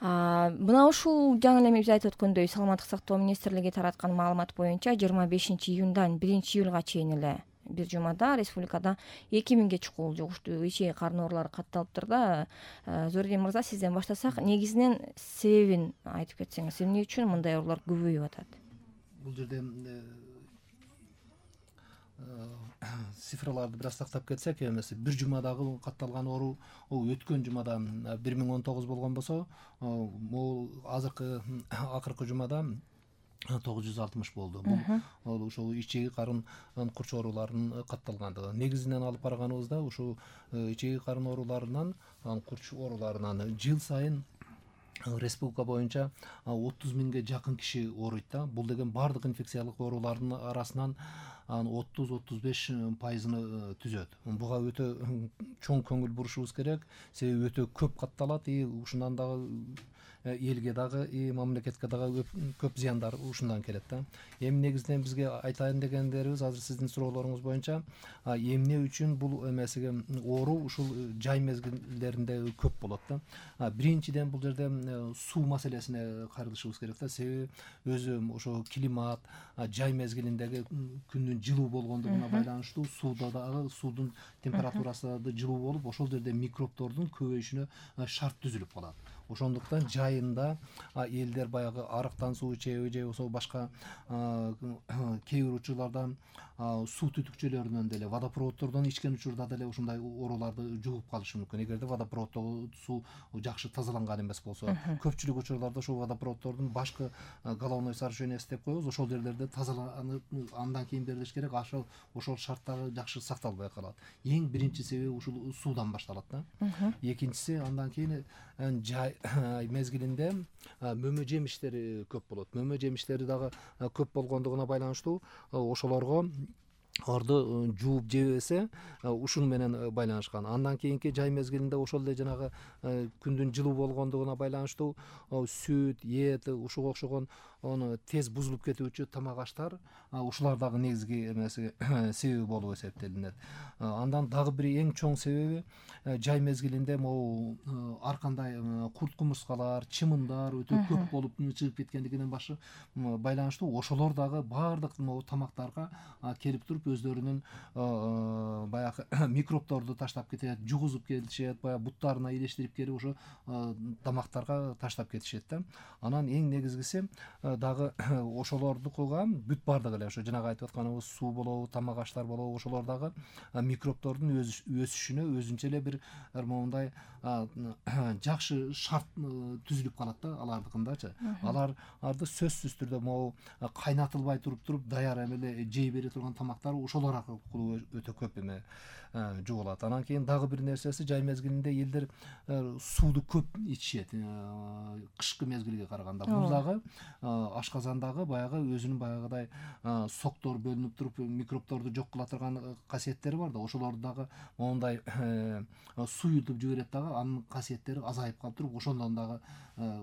Мына ушул жаңы эле биз айтып өткөндөй саламаттык сактоо министрлиги тараткан маалымат боюнча 25-июндан 1-июлга чейин эле бир жумада республикада 2000ге чукул жугуштуу ичеги карын оорулары катталыптыр да. Зордин мырза, сизден баштасак, негизинен себебин айтып кетсеңиз, эмне үчүн мындай оорулар көбөйүп атат? Бул жерде цифраларды бир аз тактап кетсек, эмеси бир жумадагы катталган оору өткөн жумада 1019 болгон болсо, могул акыркы жумада 960 болду. Бул ошол ичеги карын курч ооруларынын катталгандыгы. Негизинен алып караганыбызда ушул ичеги карын ооруларынан, курч ооруларынан жыл сайын республика боюнча 30 миңге жакын киши ооруйт да. Бул деген бардык инфекциялык оорулардын арасынан 30-35% түзөт. Буга өтө чоң көңүл бурушубуз керек, себеби өтө көп катталат, ушундан дагы элге дагы мамлекетке дагы көп зыяндар ушундан келет да. Эми негизинен бизге айтайын дегендерибиз, азыр сиздин суроолоруңуз боюнча эмне үчүн бул эмесиге оору ушул жай мезгилдеринде көп болот да. Биринчиден бул жерде суу маселесине каралышыбыз керек да, себеби өзү ошо климат, жай мезгилиндеги күндүн жылуу болгондугуна байланыштуу суудун температурасы да жылуу болуп, ошол жерде микробтордун көбөйүшүнө шарт түзүлүп калат. Ошондуктан жайында элдер баягы арыктан суу ичеби же болбосо башка кээ бир учурларда суу түтүкчөлөрүнөн деле, водопроводдордон ичкен учурда деле ушундай ооруларды жугуп калышы мүмкүн, эгерде водопроводдогу суу жакшы тазаланган эмес болсо. Көпчүлүк учурларда ушул водопроводдордун башкы головной сооружениясы деп коебуз, ошол жерлерде тазаланып андан кийин берилиш керек. Ошол шарттагы жакшы сакталбай калат. Эң биринчи себеби ушул суудан башталат да. Экинчиси, андан кийин жай мезгилинде мөмө жемиштери көп болот. Мөмө жемиштери дагы көп болгондугуна байланыштуу ошолорго аларды жууп жебесе, ушун менен байланышкан. Андан кийинки жай мезгилинде ошол эле жанагы күндүн жылуу болгондугуна байланыштуу сүт, эт, ушуга окшогон тез бузулуп кетүүчү тамак аштар, ушулар дагы негизги эмеси себеби болуп эсептелинет. Андан дагы бир эң чоң себеби жай мезгилинде могу ар кандай курт кумурскалар, чымындар өтө көп болуп чыгып кеткендигинен байланыштуу ошолор дагы баардык могу тамактарга келип туруп өздөрүнүн баягы микробторду таштап кетет, жугузуп келишет, баягы буттарына илештирип келип ошо тамактарга таштап кетишет да. Анан эң негизгиси дагы ошолордукуга бүт бардыгы эле ошо жанагы айтып атканыбыз суу болобу, тамак аштар болобу, ошолор дагы микробтордун өсүшүнө өзүнчө эле бир моундай жакшы шарт түзүлүп калат да алардыкындачы. Аларды сөзсүз түрдө могу кайнатылбай туруп даяр эле жей бере турган тамактар ошолор аркылуу өтө көп жугулат. Анан кийин дагы бир нерсеси, жай мезгилинде элдер сууду көп ичишет кышкы мезгилге караганда. Бул дагы ашказандагы баягы өзүнүн баягыдай соктор бөлүнүп туруп микробторду жок кыла турган касиеттери бар да, ошолорду дагы моундай суюлтуп жиберет дагы, анын касиеттери азайып калып туруп, ошондон дагы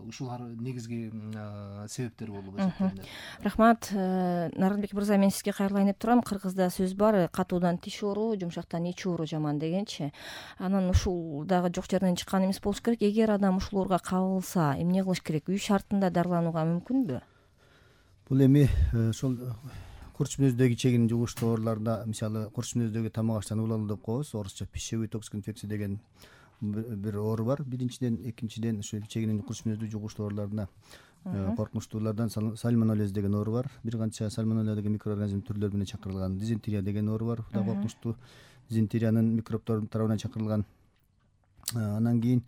ушулар негизги себептер болуп эсептелинет. Рахмат. Нарынбек мырза, мен сизге кайрылайын деп турам. Кыргызда сөз бар, катуудан тиш оору, жумшактан ич оору жаман дегенчи. Анан ушул дагы жок жерден чыккан эмес болуш керек. Эгер адам ушул ооруга кабылса, эмне кылыш керек? Үй шартында дарыланууга мүмкүнбү? Бул эми ошол курч мүнөздөгү ичегинин жугуштуу ооруларда, мисалы курч мүнөздөгү тамак аштан уулалуу деп коебуз, орусча пищевой токсик инфекция деген бир оору бар. Биринчиден, экинчиден ошо ичегинин курч мүнөздүү жугуштуу ооруларына коркунучтуулардан сальмонеллез деген оору бар. Бир канча сальмонелла деген микроорганизм түрлөрү менен чакырылган. Дизентерия деген оору бар. Бул да коркунучтуу. Дизентериянын микробтордун тарабынан чакырылган. Андан кийин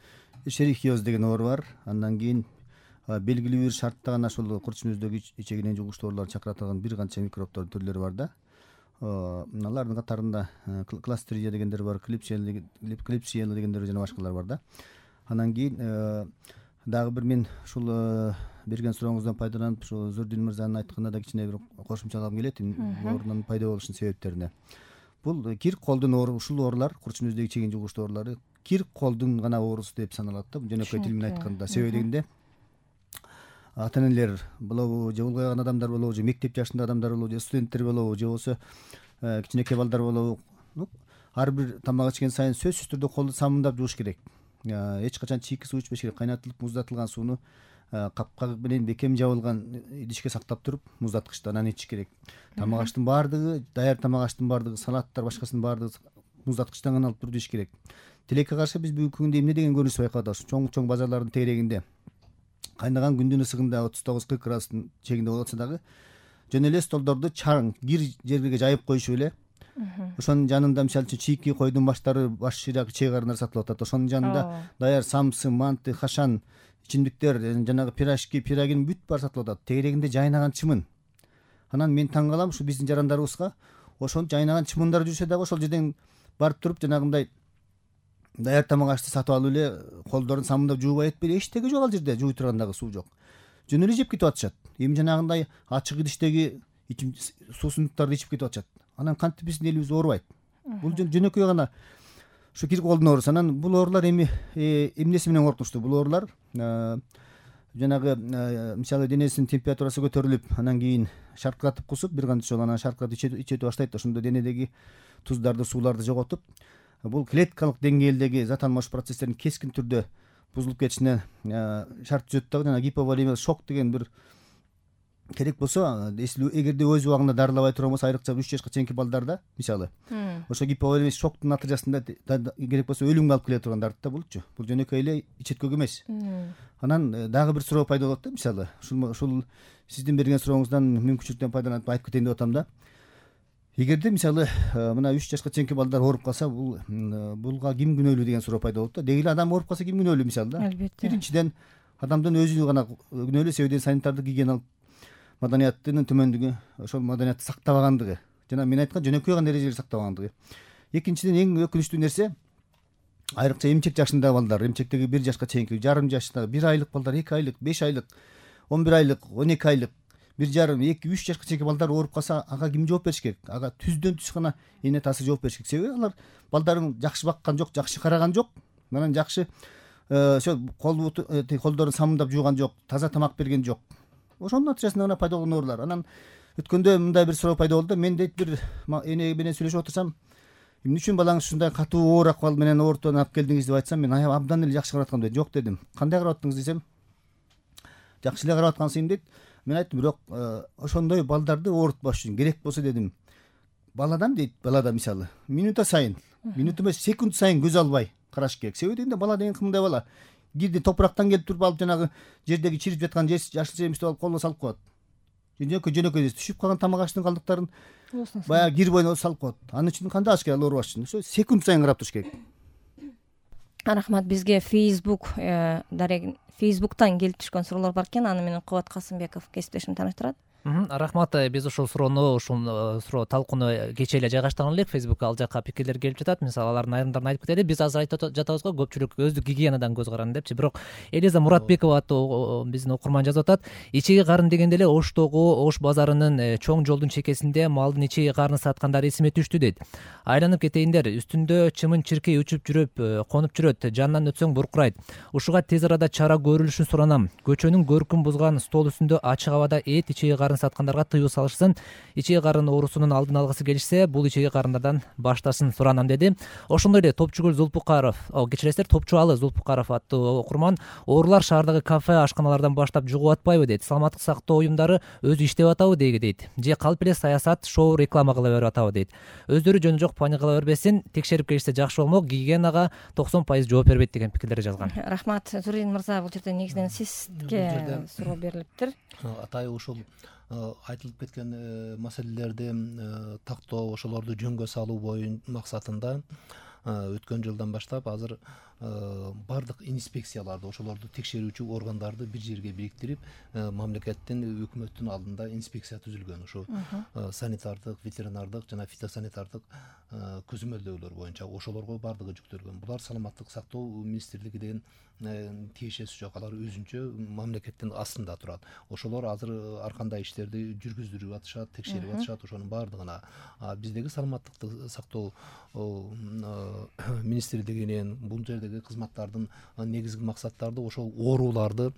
шерихиоз деген оору бар. Андан кийин белгилүү бир шартта гана ошол курч мүнөздөгү ичегинин жугуштуу ооруларды чакыратын бир канча микробтордун түрлөрү бар да. Алардын катарында кластридия дегендер бар, клипсиела дегендер жана башкалар бар да. Андан кийин дагы бир мен ушул берген сурооңуздан пайдаланып, ушул Зордин мырзанын айтканына да кичине бир кошумчалагым келет оорунун пайда болушунун себептерине. Бул кир колдун оору, ушул оорулар, курч мүнөздөгү ичегинин жугуштуу оорулары кир колдун гана оорусу деп саналат да, жөнөкөй тил менен айтканда. Себеби дегенде ата-энелер болобу, же улгайган адамдар болобу, же мектеп жашындагы адамдар болобу, же студенттер болобу, же болбосо кичинекей балдар болобу, ар бир тамак ичкен сайын сөзсүз түрдө колду самындап жууш керек. эч качан чийки суу ичпеш керек. Кайнатылып муздатылган сууну капка менен бекем жабылган идишке сактап туруп муздаткычта анан ичиш керек. Тамак аштын баардыгы, даяр тамак аштын баардыгы, салаттар башкасынын баардыгы муздаткычтан гана алып туруп иш керек. Тилекке каршы биз бүгүнкү күндө эмне деген көрүнүш байкап атабыз? Чоң базарлардын тегерегинде кайнаган күндүн ысыгында 39-40 градустун чегинде болуп атса дагы жөн эле столдорду чаң бир жерге жайып коюшуп эле. Ошонун жанында мисалы үчүн чийки койдун баштары, баш шыйрак, чей карындар сатылып атат. Ошонун жанында даяр самсы, манты, хашан, ичимдиктер, жанагы пирожки, пирогин бүт баары сатылып атат. Тегерегинде жайнаган чымын. Анан мен таң калам, ушу биздин жарандарыбызга ошол жайнаган чымындар жүрсө дагы ошол жерден барып туруп жанагындай даяр тамак ашты сатып алып эле колдорун самындап жуубай этпейли. Эчтеги жок ал жерде, жууй турган дагы суу жок. Жөн эле жеп кетип атышат. Эми жанагындай ачык идиштеги суусундуктарды ичип кетип атышат. Анан кантип биздин элибиз оорубайт? Бул жөнөкөй гана ушу кирип колдун ооруусу. Анан бул оорулар эмнеси менен коркунучтуу? Бул оорулар жанагы мисалы денесинин температурасы көтөрүлүп, анан кийин шаркыратып кусуп, бир канча жолу анан шаркыратып ичете баштайт. Ошондо денедеги туздарды, сууларды жоготуп, бул клеткалык деңгээлдеги зат алмашуу процесстеринин кескин түрдө бузулуп кетишине шарт түзөт дагы. Жана гиповолемиялык шок деген бир керек болсо, эгерде өз убагында дарылабай турган болсо, айрыкча 3 жашка чейинки балдарда мисалы ошо гиповолемиялык шоктун натыйжасында керек болсо өлүмгө алып келе турган дарт да булчу. Бул жөнөкөй эле ичеткөк эмес. Анан дагы бир суроо пайда болот да, мисалы ушул сиздин берген сурооңуздан мүмкүнчүлүктөн пайдаланып айтып кетейин деп атам да. Эгерде мисалы мына 3 жашка чейинки балдар ооруп калса, булга ким күнөөлүү деген суроо пайда болот да. Деги эле адам ооруп калса ким күнөөлүү мисалы да? Албетте. Биринчиден адамдын өзү гана күнөөлүү, себебинен санитардык гигиеналык маданияттын төмөндүгү, ошол маданиятты сактабагандыгы. Жана мен айткан жөнөкөй гана эрежелерди сактабагандыгы. Экинчиден эң өкүнүчтүү нерсе, айрыкча эмчек жашындагы балдар, эмчектеги 1 жашка чейинки, жарым жаштагы, 1 айлык балдар, 2 айлык, 5 айлык, 11 айлык, 12 айлык, 1 жарым, 2-3 жашка чейинки балдар ооруп калса, ага ким жооп бериш керек? Ага түздөн түз гана эне таасы жооп бериш керек. Себеби алар балдарын жакшы баккан жок, жакшы караган жок, анан жакшы ошо колдорун самындап жууган жок, таза тамак берген жок. Ошонун натыйжасында гана пайда болгон оорулар. Анан өткөндө мындай бир суроо пайда болду. Мен дейт бир эне менен сүйлөшүп отурсам, эмне үчүн балаңыз ушундай катуу оор акыбал менен оорутуп алып келдиңиз деп айтсам, мен абдан эле жакшы карап аткам дейт. Жок дедим. Кандай карап аттыңыз десем, жакшы эле карап аткансың дейт. Мен айттым, бирок ошондой балдарды оорутпаш үчүн керек болсо дедим, баладан дейт, балада мисалы минута сайын, минут эмес секунд сайын көз албай караш керек. Себеби дегенде бала деген кымдай бала. Кирди топурактан келип туруп алып жанагы жердеги чирип жаткан жашыл жемишти алып колуна салып коет. Жөнөкөй түшүп калган тамак аштын калдыктарын баягы кир боюна салып коет. Анын үчүн кандай аш керек ал оорубаш үчүн? Ошо секунд сайын карап туруш керек. Рахмат. Бизге Facebook'тан келип түшкөн суроолор бар экен. Аны менен Кубат Касымбеков кесиптешим тааныштырат. Рахмат. Биз ушул суроо талкууну кечээ эле жайгаштырган элек Facebook'ка, ал жака пикирлер келип жатат. Мисалы алардын айрымдарын айтып кетели. Биз азыр айтып жатабыз го, көпчүлүк өздүк гигиенадан көз каранды депчи. Бирок Элиза Муратбекова аттуу биздин окурман жазып атат. Ичеги карын дегенде эле Оштогу Ош базарынын чоң жолдун чекесинде малдын ичеги карынын саткандар эсиме түштү дейт. Айланып кетейиндер, үстүндө чымын чиркей учуп жүрүп, конуп жүрөт, жанынан өтсөң буркурайт. Ушуга тез арада чара көрүлүшүн суранам. Көчөнүн көркүн бузган стол үстүндө ачык абада ичеги карын саткандарга тыюу салышсын. Ичеги карын оорусунун алдын алгысы келишсе, бул ичеги карындардан башташын суранам деди. Ошондой эле Топчугүл Зулпукаров, кечиресиздер, Топчуалы Зулпукаров аттуу окурман, оорулар шаардагы кафе, ашканалардан баштап жугуп атпайбы дейт. Саламаттык сактоо уюмдары өзү иштеп атабы дейт. Же калп эле саясат, шоу, реклама кыла берип атабы дейт. Өздөрү жөнү жок паник кыла бербесин, текшерип келишсе жакшы болмок, гигиенага 90% жооп бербейт деген пикирлерди жазган. Рахмат. Зурин мырза, бул жерде негизинен сизге суроо берилиптир. Атайы ушул айтылып кеткен маселелерди тактоо, ошолорду жөнгө салуу максатында өткөн жылдан баштап азыр бардык инспекцияларды, ошолорду текшерүүчү органдарды бир жерге бириктирип, мамлекеттин, өкмөттүн алдында инспекция түзүлгөн. Ушу санитардык, ветеринардык жана фитосанитардык көзөмөлдөөлөр боюнча ошолорго бардыгы жүктөлгөн. Булар саламаттык сактоо министрлигинин тиешеси жок, алар өзүнчө мамлекеттин астында турат. Ошолор азыр ар кандай иштерди жүргүздүрүп атышат, текшерип атышат. Ошонун бардыгына биздеги саламаттыкты сактоо министрлигинин бул жердеги кызматтардын негизги максаттары ошол ооруларды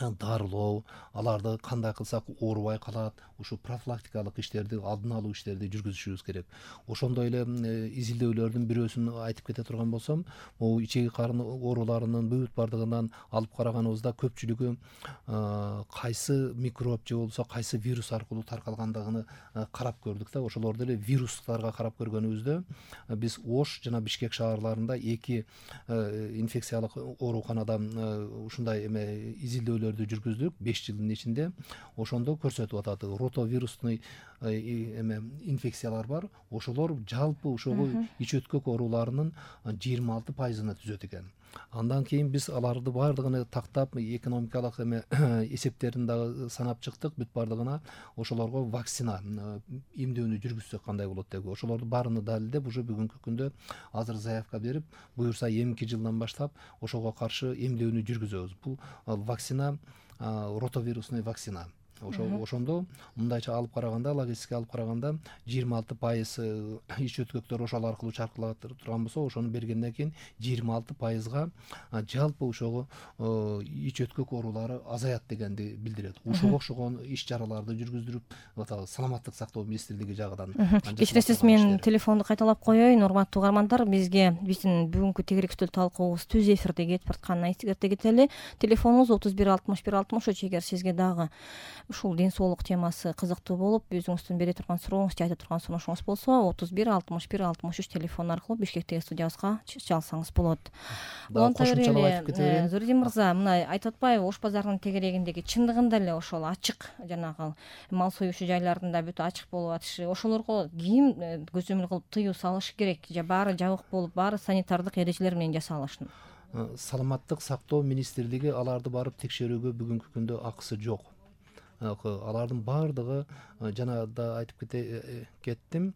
дарылоо, аларды кандай кылсак оорубай калат, ушу профилактикалык иштерди, алдын алуу иштерди жүргүзүшүбүз керек. Ошондой эле изилдөөлөрдүн бирөөсүн айтып кете турган болсом, могу ичеги карын ооруларынын бүт бардыгынан алып караганыбызда көпчүлүгү кайсы микроб же болбосо кайсы вирус аркылуу таркалгандыгын карап көрдүк да. Ошолорду эле вирустарга карап көргөнүбүздө биз Ош жана Бишкек шаарларында 2 инфекциялык ооруканада ушундай изилдөөлөрдү жүргүздүк 5 жылдын ичинде. Ошондо көрсөтүп атат, ротовирусный инфекциялар бар. Ошолор жалпы ошого ич өткөк ооруларынын 26%-ын түзөт экен. Андан кийин биз аларды бардыгын тактап, экономикалык эсептерин дагы санап чыктык. Бүт бардыгына ошолорго вакцина эмдөөнү жүргүзсөк кандай болот деп. Ошолорду баарыны далилдеп, уже бүгүнкү күндө азыр заявка берип, буюрса эмки жылдан баштап ошого каршы эмдөөнү жүргүзөбүз. Бул вакцина ротовирусный вакцина. Ошондо мындайча алып караганда, логистика алып караганда 26% ич өткөктөр ошол аркылуу чаркылап турган болсо, ошону бергенден кийин 26%га жалпы ошого ич өткөк оорулары азаят дегенди билдирет. Ушуга окшогон иш чараларды жүргүздүрүп атабыз, саламаттык сактоо министрлиги жагынан. Кечиресиз, мен телефонду кайталап коеюн. Урматтуу угармандар, биздин бүгүнкү тегерек стөл талкуубуз түз эфирде кетип баратканын эскерте кетели. Телефонубуз 31 61 63. Эгер сизге дагы ушул ден соолук темасы кызыктуу болуп, өзүңүздүн бере турган сурооңуз, айта турган сунушуңуз болсо, 31 61 63 телефон аркылуу Бишкектеги студиябызга чалсаңыз болот. Зуридин мырза, мына айтып атпайбы, Ош базарынын тегерегиндеги чындыгында эле ошол ачык, жанагы мал союучу жайларында бүт ачык болуп атышы, ошолорго ким көзөмөл кылып тыюу салышы керек? Же баары жабык болуп, баары санитардык эрежелер менен жасалышын? Саламаттык сактоо министрлиги аларды барып текшерүүгө бүгүнкү күндө акысы жок. Алардын баардыгы жана да айтып кеттим,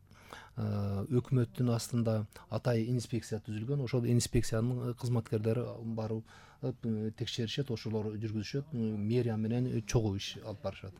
өкмөттүн астында атай инспекция түзүлгөн. Ошол инспекциянын кызматкерлери барып текшеришет, ошолор жүргүзүшөт, мэрия менен чогуу иш алып барышат.